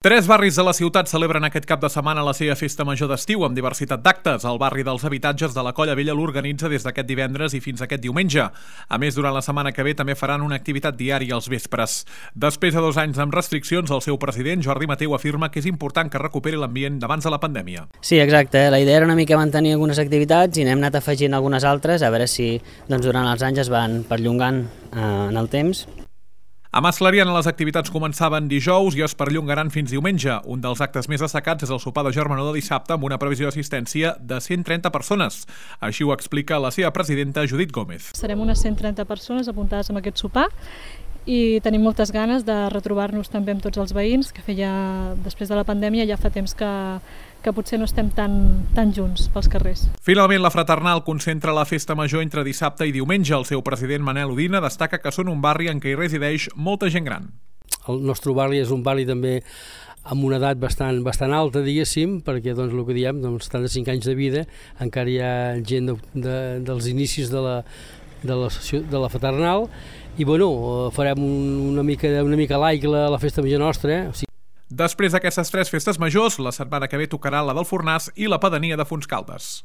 Tres barris de la ciutat celebren aquest cap de setmana la seva festa major d'estiu amb diversitat d'actes. El barri dels habitatges de la Colla Vella l'organitza des d'aquest divendres i fins aquest diumenge. A més, durant la setmana que ve també faran una activitat diària als vespres. Després de 2 anys amb restriccions, el seu president, Jordi Mateu, afirma que és important que recuperi l'ambient d'abans de la pandèmia. Sí, exacte. La idea era una mica mantenir algunes activitats i n'hem anat afegint algunes altres, a veure si durant els anys es van perllongant en el temps. A Mas Clariana les activitats començaven dijous i es perllongaran fins diumenge. Un dels actes més destacats és el sopar de germanor de dissabte amb una previsió d'assistència de 130 persones. Així ho explica la seva presidenta, Judit Gómez. Serem unes 130 persones apuntades en aquest sopar i tenim moltes ganes de retrobar-nos també amb tots els veïns, que després de la pandèmia ja fa temps que potser no estem tan junts pels carrers. Finalment, la Fraternal concentra la festa major entre dissabte i diumenge. El seu president, Manel Udina, destaca que són un barri en què hi resideix molta gent gran. El nostre barri és un barri també amb una edat bastant alta, diguéssim, perquè el que diem, 75 anys de vida, encara hi ha gent dels inicis de la Fraternal, i farem una mica laic la festa major nostra. Després d'aquestes 3 festes majors, la setmana que ve tocarà la del Fornàs i la pedania de Fontscaldes.